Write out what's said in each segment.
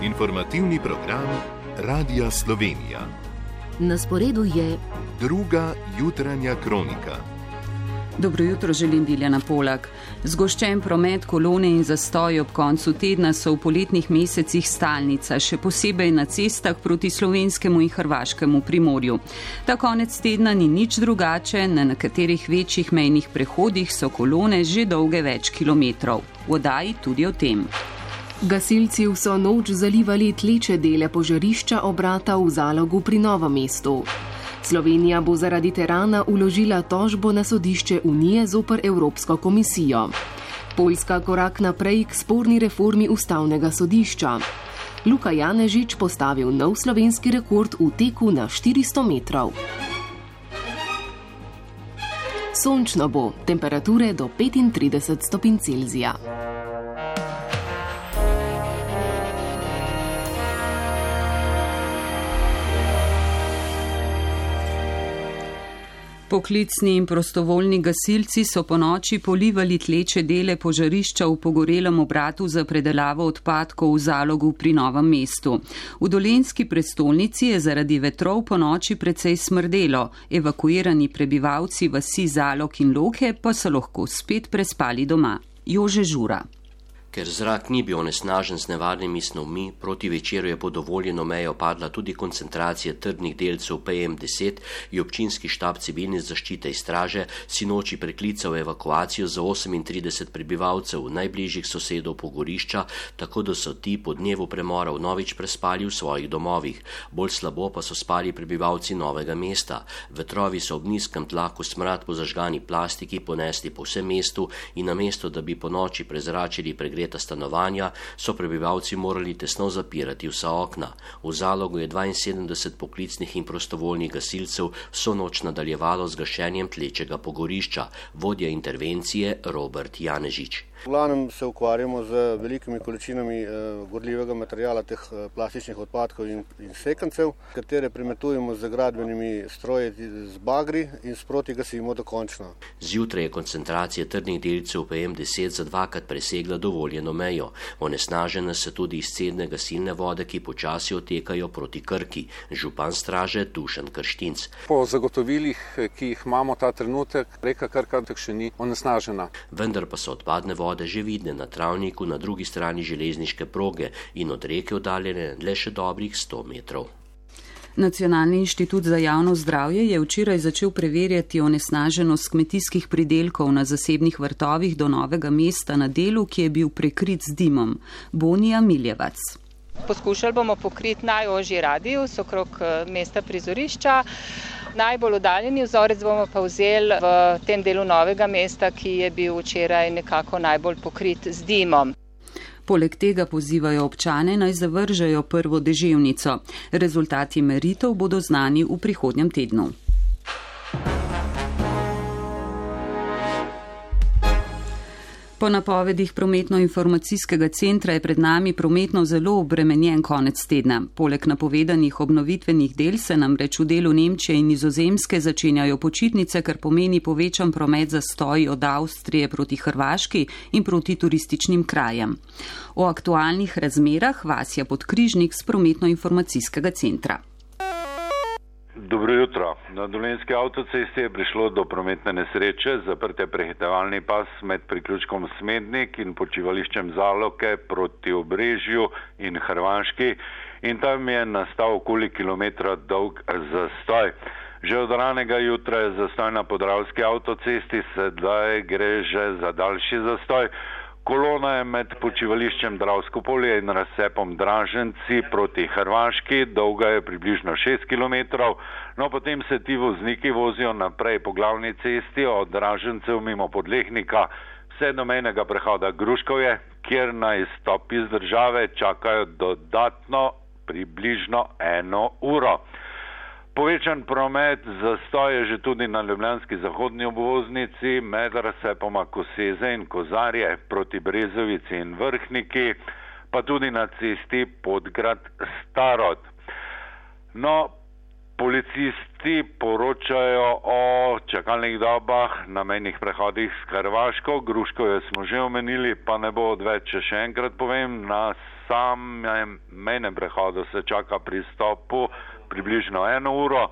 Informativni program Radia Slovenija. Na sporedu je druga jutranja kronika. Dobro jutro, želim Biljana Polak. Zgoščen promet, kolone in zastoji ob koncu tedna so v poletnih mesecih stalnica, še posebej na cestah proti slovenskemu in hrvaškemu Primorju. Ta konec tedna ni nič drugače, na nekaterih večjih mejnih prehodih so kolone že dolge več kilometrov. V oddaji tudi o tem. Gasilci vso noč zalivali tleče dele požarišča obrata v Zalogu pri Novem mestu. Slovenija bo zaradi terana vložila tožbo na sodišče Unije zoper Evropsko komisijo. Poljska korak naprej k sporni reformi ustavnega sodišča. Luka Janežič postavil nov slovenski rekord v teku na 400 metrov. Sončno bo, temperature do 35 stopinj Celzija. Poklicni in prostovoljni gasilci so ponoči polivali tleče dele požarišča v pogorelem obratu za predelavo odpadkov v Zalogu pri Novem mestu. V dolenjski prestolnici je zaradi vetrov ponoči precej smrdelo. Evakuirani prebivalci vasi Zalog in Loke pa so lahko spet prespali doma. Jože Žura. Ker zrak ni bil onesnažen z nevarnimi snovmi, proti večeru je pod dovoljeno mejo padla tudi koncentracija trdnih delcev PM10, je občinski štab civilne zaščite in straže sinoči preklical evakuacijo za 38 prebivalcev najbližjih sosedov pogorišča, tako da so ti po dnevu premora vnovič prespali v svojih domovih. Bolj slabo pa so spali prebivalci Novega mesta. Vetrovi so ob nizkem tlaku smrad po zažgani plastiki ponesli po vsem mestu in namesto, da bi po noči prezračili pregreta stanovanja, so prebivalci morali tesno zapirati vsa okna. V Zalogu je 72 poklicnih in prostovoljnih gasilcev vso noč nadaljevalo z gašenjem tlečega pogorišča. Vodja intervencije Robert Janežič. V glavnem se ukvarjamo z velikimi količinami gorljivega materijala, teh plastičnih odpadkov in sekancev, katere premetujemo z gradbenimi stroji z bagri in sproti gasimo dokončno. Zjutraj je koncentracija trdnih delcev PM10 za dvakrat presegla dovoljeno mejo. Onesnažena se tudi izcedne gasilne vode, ki počasi otekajo proti Krki. Župan straže Dušan Krštinc. Po zagotovilih, ki jih imamo ta trenutek, reka Krka še ni onesnažena. Vendar pa so odpadne vode že vidne na travniku na drugi strani železniške proge in od reke oddaljene le še dobrih 100 metrov. Nacionalni inštitut za javno zdravje je včeraj začel preverjati onesnaženost kmetijskih pridelkov na zasebnih vrtovih do Novega mesta na delu, ki je bil prekrit z dimom. Bonija Miljevac. Poskušali bomo pokriti najožji radius okrog mesta prizorišča. Najbolj oddaljeni vzorec bomo pa vzeli v tem delu Novega mesta, ki je bil včeraj nekako najbolj pokrit z dimom. Poleg tega pozivajo občane, naj zavržejo prvo deževnico. Rezultati meritev bodo znani v prihodnjem tednu. Po napovedih prometno-informacijskega centra je pred nami prometno zelo obremenjen konec tedna. Poleg napovedanih obnovitvenih del se namreč v delu Nemčije in Nizozemske začenjajo počitnice, kar pomeni povečan promet zastoji od Avstrije proti Hrvaški in proti turističnim krajem. O aktualnih razmerah Vasja Podkrižnik z prometno-informacijskega centra. Dobro jutro. Na Dolenjski avtocesti je prišlo do prometne nesreče, zaprte prehitevalni pas med priključkom Smednik in počivališčem Zaloke proti Obrežju in Hrvaški in tam je nastal okoli kilometra dolg zastoj. Že od ranega jutra je zastoj na Podravski avtocesti, sedaj gre že za daljši zastoj. Kolona je med počivališčem Dravsko polje in razcepom Draženci proti Hrvaški, dolga je približno 6 km, no potem se ti vozniki vozijo naprej po glavni cesti od Dražencev mimo Podlehnika vse do mejnega prehoda Gruškovje, kjer na izstop iz države čakajo dodatno približno 1 uro. Povečan promet zastoj je že tudi na ljubljanski zahodni obvoznici med razcepoma Koseze in Kozarje proti Brezovici in Vrhniki, pa tudi na cesti Podgrad Starod. No, Policisti poročajo o čakalnih dobah na mejnih prehodih s Hrvaško. Gruškovje smo že omenili, pa ne bo odveč, še enkrat povem, na samem mejnem prehodu se čaka pri stopu približno 1 uro.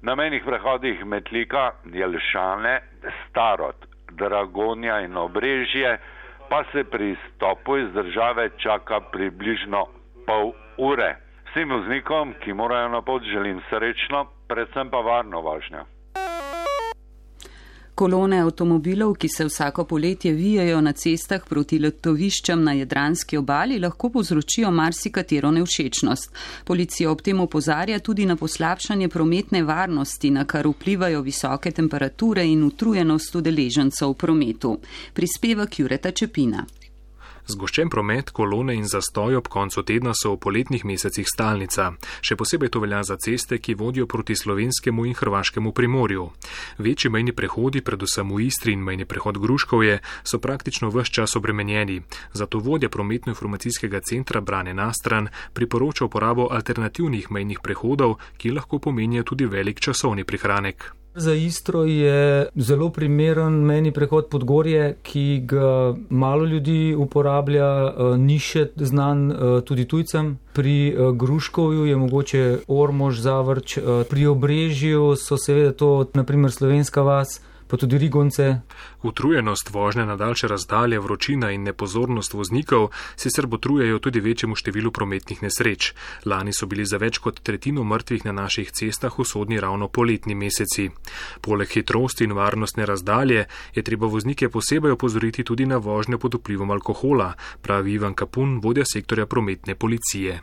Na mejnih prehodih Metlika, Jelšane, Starod, Dragonja in Obrežje pa se pri stopu iz države čaka približno pol ure. Vsem voznikom, ki morajo na pot, želim srečno, predvsem pa varno vožnjo. Kolone avtomobilov, ki se vsako poletje vijajo na cestah proti letoviščem na Jadranski obali, lahko povzročijo marsikatero nevšečnost. Policija ob tem opozarja tudi na poslabšanje prometne varnosti, na kar vplivajo visoke temperature in utrujenost udeležencev v prometu. Prispevek Jureta Čepina. Zgoščen promet, kolone in zastoj ob koncu tedna so v poletnih mesecih stalnica. Še posebej to velja za ceste, ki vodijo proti slovenskemu in hrvaškemu primorju. Večji mejni prehodi, predvsem v Istri in mejni prehod Gruškovje, so praktično ves čas obremenjeni. Zato vodja prometno-informacijskega centra Brane Nastran priporoča uporabo alternativnih mejnih prehodov, ki lahko pomenijo tudi velik časovni prihranek. Za Istro je zelo primeren mejni prehod Podgorje, ki ga malo ljudi uporablja, ni še znan tudi tujcem. Pri Gruškovju je mogoče Ormož, Zavrč, pri Obrežju so seveda to naprimer Slovenska vas, pa tudi Rigonce. Utrujenost vožnje na daljše razdalje, vročina in nepozornost voznikov sicer botrujejo tudi večjemu številu prometnih nesreč. Lani so bili za več kot tretjino mrtvih na naših cestah usodni ravno poletni meseci. Poleg hitrosti in varnostne razdalje je treba voznike posebej opozoriti tudi na vožnjo pod vplivom alkohola, pravi Ivan Kapun, vodja sektorja prometne policije.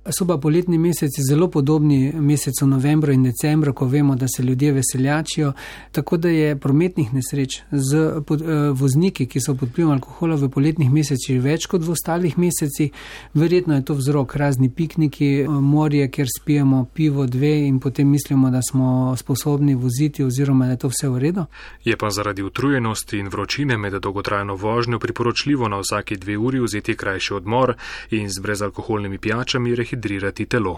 So pa poletni meseci zelo podobni mesecu novembra in decembra, ko vemo, da se ljudje veseljačijo, tako da je prometnih nesreč z vozniki, ki so pod vplivom alkohola v poletnih mesecih več kot v ostalih mesecih. Verjetno je to vzrok razni pikniki, morje, kjer spijemo pivo 2 in potem mislimo, da smo sposobni voziti oziroma da je to vse v redu. Je pa zaradi utrujenosti in vročine med dolgotrajno vožnjo priporočljivo na vsaki 2 uri vzeti krajši odmor in z brezalkoholnimi pijačami hidrirati telo.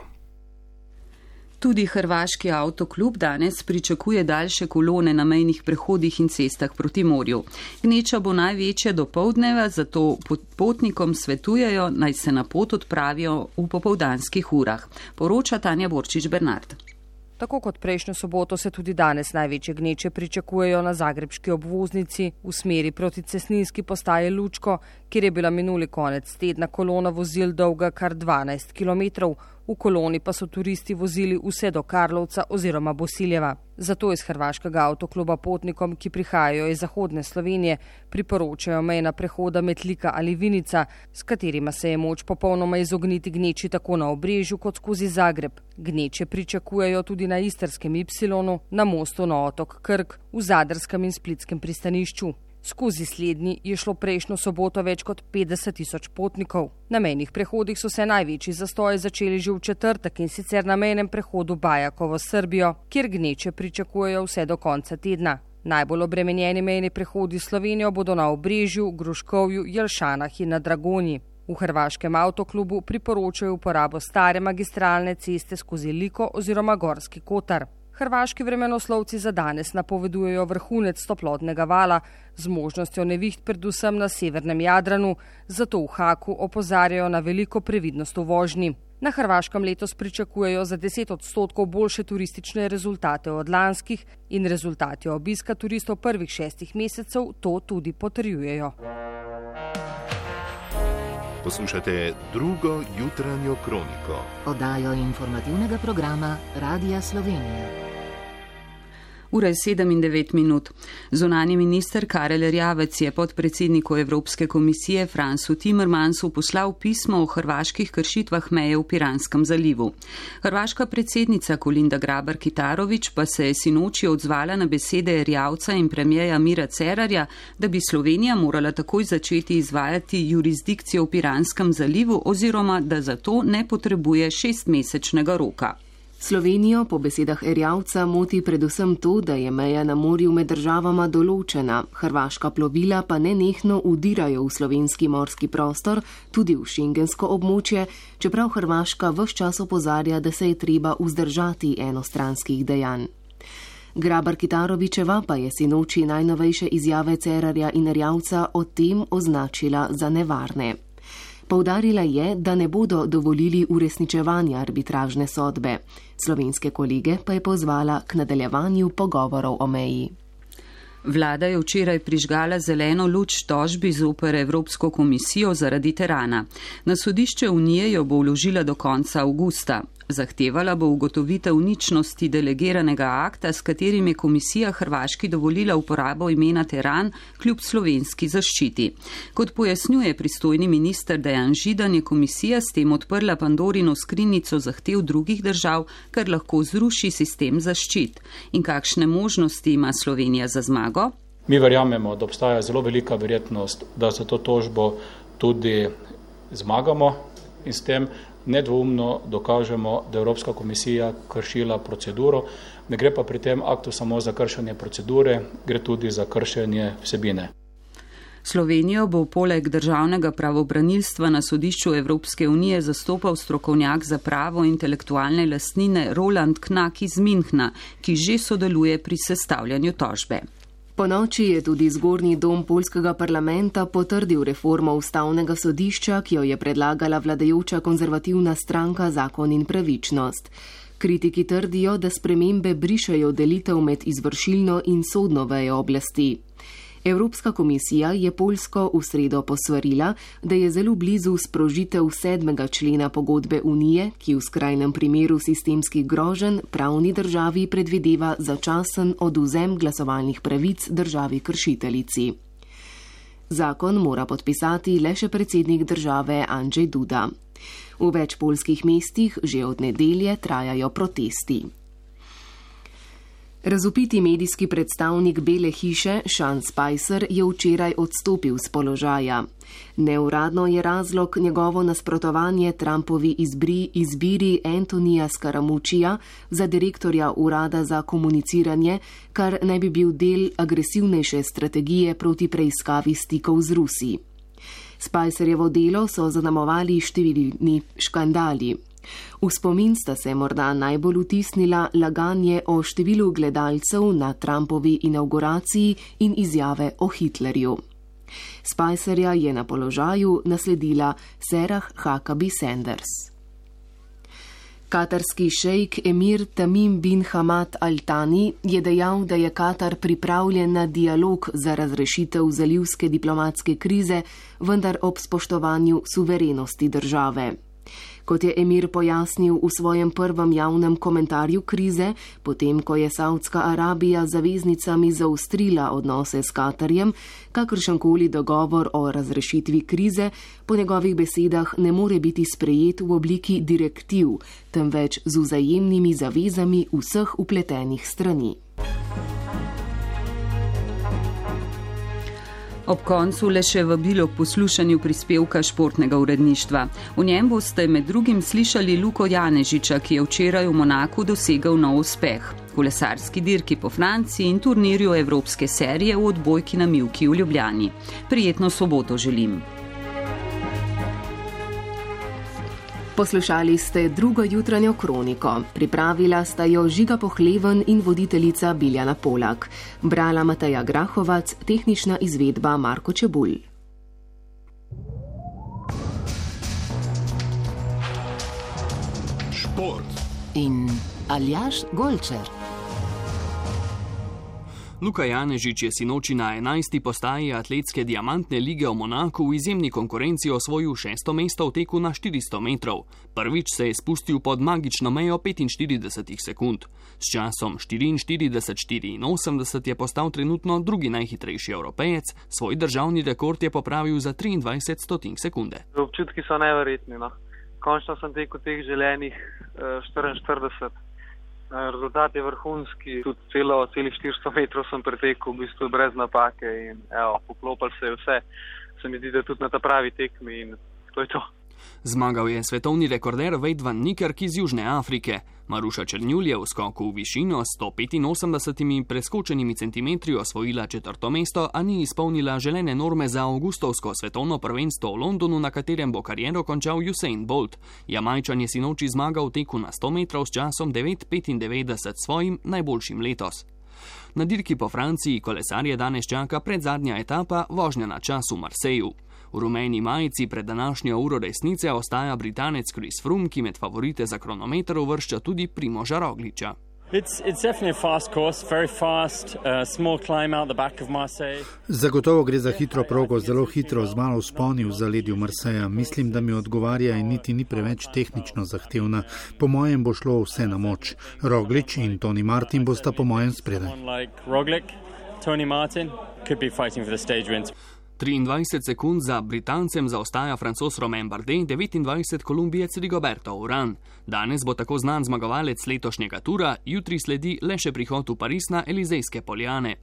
Tudi hrvaški avtoklub danes pričakuje daljše kolone na mejnih prehodih in cestah proti morju. Gneča bo največja do poldneva, zato potnikom svetujejo, naj se na pot odpravijo v popoldanskih urah. Poroča Tanja Borčič Bernard. Tako kot prejšnjo soboto se tudi danes največje gneče pričakujejo na zagrebški obvoznici v smeri proti cestninski postaji Lučko, kjer je bila minuli konec tedna kolona vozil dolga kar 12 km. V koloni pa so turisti vozili vse do Karlovca oziroma Bosiljeva. Zato iz hrvaškega avtokluba potnikom, ki prihajajo iz zahodne Slovenije, priporočajo mejna prehoda Metlika ali Vinica, s katerima se je moč popolnoma izogniti gneči tako na Obrežju kot skozi Zagreb. Gneče pričakujejo tudi na Istrskem Y, na mostu na otok Krk, v Zadrskem in Splitskem pristanišču. Skozi slednji je šlo prejšnjo soboto več kot 50.000 potnikov. Na mejnih prehodih so se največji zastoji začeli že v četrtek in sicer na mejnem prehodu Bajakovo s Srbijo, kjer gneče pričakujejo vse do konca tedna. Najbolj obremenjeni mejni prehodi s Slovenijo bodo na Obrežju, Gruškovju, Jelšanah in na Dragonji. V hrvaškem avtoklubu priporočajo uporabo stare magistralne ceste skozi Liko oziroma Gorski Kotar. Hrvaški vremenoslovci za danes napovedujejo vrhunec toplotnega vala z možnostjo neviht predvsem na severnem Jadranu, zato v Haku opozarjajo na veliko previdnost v vožnji. Na Hrvaškem letos pričakujejo za 10% boljše turistične rezultate od lanskih in rezultati obiska turistov prvih 6 mesecev to tudi potrjujejo. Poslušate drugo jutranjo kroniko. Oddajo informativnega programa Radija Slovenija. Ura je 7:09. Zunanji minister Karel Erjavec je podpredsedniku Evropske komisije Fransu Timmermansu poslal pismo o hrvaških kršitvah meje v Piranskem zalivu. Hrvaška predsednica Kolinda Grabar-Kitarović pa se je sinoči odzvala na besede Erjavca in premijeja Mira Cerarja, da bi Slovenija morala takoj začeti izvajati jurisdikcijo v Piranskem zalivu oziroma da za to ne potrebuje 6-mesečnega roka. Slovenijo po besedah Erjavca moti predvsem to, da je meja na morju med državama določena, hrvaška plovila pa nenehno udirajo v slovenski morski prostor, tudi v šengensko območje, čeprav Hrvaška ves čas opozarja, da se je treba vzdržati enostranskih dejanj. Grabar Kitarovičeva pa je sinoči najnovejše izjave Cerarja in Erjavca o tem označila za nevarne. Poudarila je, da ne bodo dovolili uresničevanja arbitražne sodbe. Slovenske kolege pa je pozvala k nadaljevanju pogovorov o meji. Vlada je včeraj prižgala zeleno luč tožbi zoper Evropsko komisijo zaradi terana. Na sodišče Unije jo bo vložila do konca avgusta. Zahtevala bo ugotovitev ničnosti delegiranega akta, s katerim je komisija Hrvaški dovolila uporabo imena Teran kljub slovenski zaščiti. Kot pojasnjuje pristojni minister Dejan Židan, je komisija s tem odprla Pandorino skrinjico zahtev drugih držav, kar lahko zruši sistem zaščit. In kakšne možnosti ima Slovenija za zmago? Mi verjamemo, da obstaja zelo velika verjetnost, da za to tožbo tudi zmagamo in s tem nedvoumno dokažemo, da je Evropska komisija kršila proceduro. Ne gre pa pri tem aktu samo za kršenje procedure, gre tudi za kršenje vsebine. Slovenijo bo poleg državnega pravobranilstva na sodišču Evropske unije zastopal strokovnjak za pravo intelektualne lastnine Roland Knak iz Minhna, ki že sodeluje pri sestavljanju tožbe. Po noči je tudi zgornji dom poljskega parlamenta potrdil reformo ustavnega sodišča, ki jo je predlagala vladajoča konzervativna stranka Zakon in pravičnost. Kritiki trdijo, da spremembe brišejo delitev med izvršilno in sodno vejo oblasti. Evropska komisija je Poljsko v sredo posvarila, da je zelo blizu sprožitev 7. člena pogodbe Unije, ki v skrajnem primeru sistemskih groženj pravni državi predvideva začasen odvzem glasovalnih pravic državi kršiteljici. Zakon mora podpisati le še predsednik države Andrzej Duda. V več poljskih mestih že od nedelje trajajo protesti. Razvpiti medijski predstavnik Bele hiše Sean Spicer je včeraj odstopil z položaja. Neuradno je razlog njegovo nasprotovanje Trumpovi izbiri Antonija Scaramuccija za direktorja urada za komuniciranje, kar naj bi bil del agresivnejše strategije proti preiskavi stikov z Rusi. Spicerjevo delo so zaznamovali številni škandali. V spomin sta se morda najbolj vtisnila laganje o številu gledalcev na Trumpovi inauguraciji in izjave o Hitlerju. Spicerja je na položaju nasledila Sarah Huckabee Sanders. Katarski šejk Emir Tamim bin Hamad Al Thani je dejal, da je Katar pripravljen na dialog za razrešitev zalivske diplomatske krize, vendar ob spoštovanju suverenosti države. Kot je emir pojasnil v svojem prvem javnem komentarju krize, potem ko je Saudska Arabija z zaveznicami zaostrila odnose s Katarjem, kakršenkoli dogovor o razrešitvi krize po njegovih besedah ne more biti sprejet v obliki direktiv, temveč z vzajemnimi zavezami vseh vpletenih strani. Ob koncu le še vabilo k poslušanju prispevka športnega uredništva. V njem boste med drugim slišali Luko Janežiča, ki je včeraj v Monaku dosegel nov uspeh. Kolesarski dirki po Franciji in turnirju Evropske serije v odbojki na mivki v Ljubljani. Prijetno soboto želim. Poslušali ste drugo jutranjo kroniko. Pripravila sta jo Žiga Pohleven in voditeljica Biljana Polak. Brala Mateja Grahovac, tehnična izvedba Marko Čebulj. Šport in Aljaž Golčer. Luka Janežič je sinoči na 11. postaji atletske diamantne lige v Monaku v izjemni konkurenci osvojil 6. mesto v teku na 400 metrov. Prvič se je spustil pod magično mejo 45 sekund. S časom 44:84 je postal trenutno drugi najhitrejši Evropejec, svoj državni rekord je popravil za 23 sekunde. Občutki so neverjetni. Končno sem tekel teh želenih 44. Rezultat je vrhunski, tudi celih 400 metrov sem pretekel v bistvu brez napake in poklopil se je vse. Se mi zdi, da tudi na ta pravi tekmi in to je to. Zmagal je svetovni rekorder Wade van Niekerk iz Južne Afrike. Maruša Černjul je v skoku v višino s 185 preskočenimi centimetri osvojila 4. mesto, a ni izpolnila želene norme za avgustovsko svetovno prvenstvo v Londonu, na katerem bo kariero končal Usain Bolt. Jamajčan je sinoči zmagal v teku na 100 metrov s časom 9:95, svojim najboljšim letos. Na dirki po Franciji kolesarje danes čaka predzadnja etapa, vožnja na čas v Marseju. V rumeni majici pred današnjo uro resnice ostaja Britanec Chris Froome, ki med favorite za kronometer uvršča tudi Primoža Rogliča. Zagotovo gre za hitro progo, zelo hitro, z malo vzponi v zaledju Marseja. Mislim, da mi odgovarja in niti ni preveč tehnično zahtevna. Po mojem bo šlo vse na moč. Roglič in Tony Martin bosta po mojem spredaj. 23 sekund za Britancem zaostaja Francoz Romain Bardet, 29 Kolumbijec Rigoberto Urán. Danes bo tako znan zmagovalec letošnjega tura, jutri sledi le še prihod v Pariz na Elizejske poljane.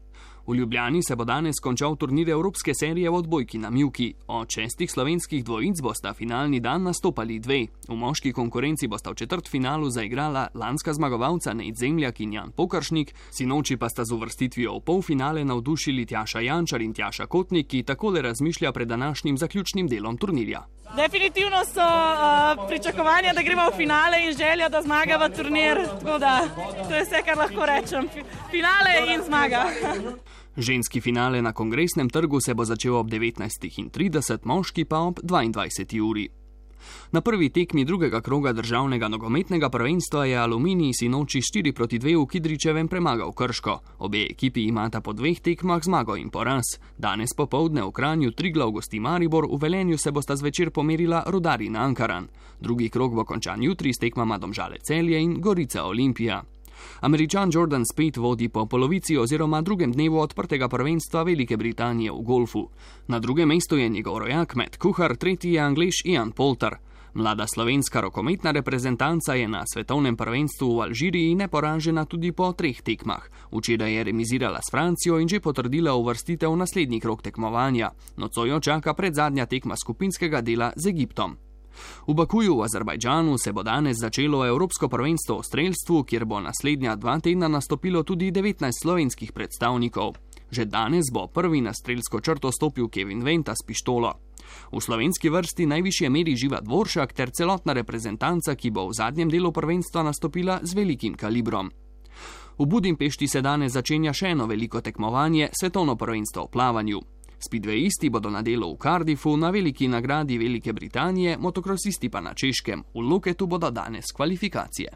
V Ljubljani se bo danes končal turnir Evropske serije v odbojki na mivki. Od 6 slovenskih dvojic bosta finalni dan nastopali 2. V moški konkurenci bosta v četrtfinalu zaigrala lanska zmagovalca Nejc Zemljak in Jan Pokaršnik, sinoči pa sta z uvrstitvijo v polfinale navdušili Tjaša Jančar in Tjaša Kotnik, ki takole razmišlja pred današnjim zaključnim delom turnirja. Definitivno so pričakovanja, da gremo v finale in želja, da zmagava turnir, tako da to je vse, kar lahko rečem. Finale in zmaga. Ženski finale na Kongresnem trgu se bo začel ob 19:30, moški pa ob 22. uri. Na prvi tekmi drugega kroga državnega nogometnega prvenstva je Aluminij sinoči 4:2 v Kidričevem premagal Krško. Obe ekipi imata po 2 tekmah zmago in poraz. Danes popoldne v Kranju Triglav gosti Maribor, v Velenju se bosta zvečer pomerila Rudar in Ankaran. Drugi krog bo končan jutri s tekmama Domžale Celje in Gorica Olimpija. Američan Jordan Spieth vodi po polovici oziroma drugem dnevu odprtega prvenstva Velike Britanije v golfu. Na drugem mestu je njegov rojak Matt Kuhar, tretji je Anglež Ian Poulter. Mlada slovenska rokometna reprezentanca je na svetovnem prvenstvu v Alžiriji neporažena tudi po 3 tekmah. Včeraj je remizirala s Francijo in že potrdila uvrstitev v naslednji krog tekmovanja. Nocoj jo čaka predzadnja tekma skupinskega dela z Egiptom. V Bakuju v Azerbajdžanu se bo danes začelo Evropsko prvenstvo v strelstvu, kjer bo naslednja 2 tedna nastopilo tudi 19 slovenskih predstavnikov. Že danes bo prvi na strelsko črto stopil Kevin Venta s pištolo. V slovenski vrsti najvišje meri Živa Dvoršak ter celotna reprezentanca, ki bo v zadnjem delu prvenstva nastopila z velikim kalibrom. V Budimpešti se danes začenja še eno veliko tekmovanje, svetovno prvenstvo v plavanju. Speedwayisti bodo na delu v Cardiffu, na veliki nagradi Velike Britanije, motokrosisti pa na Češkem. V Loketu bodo danes kvalifikacije.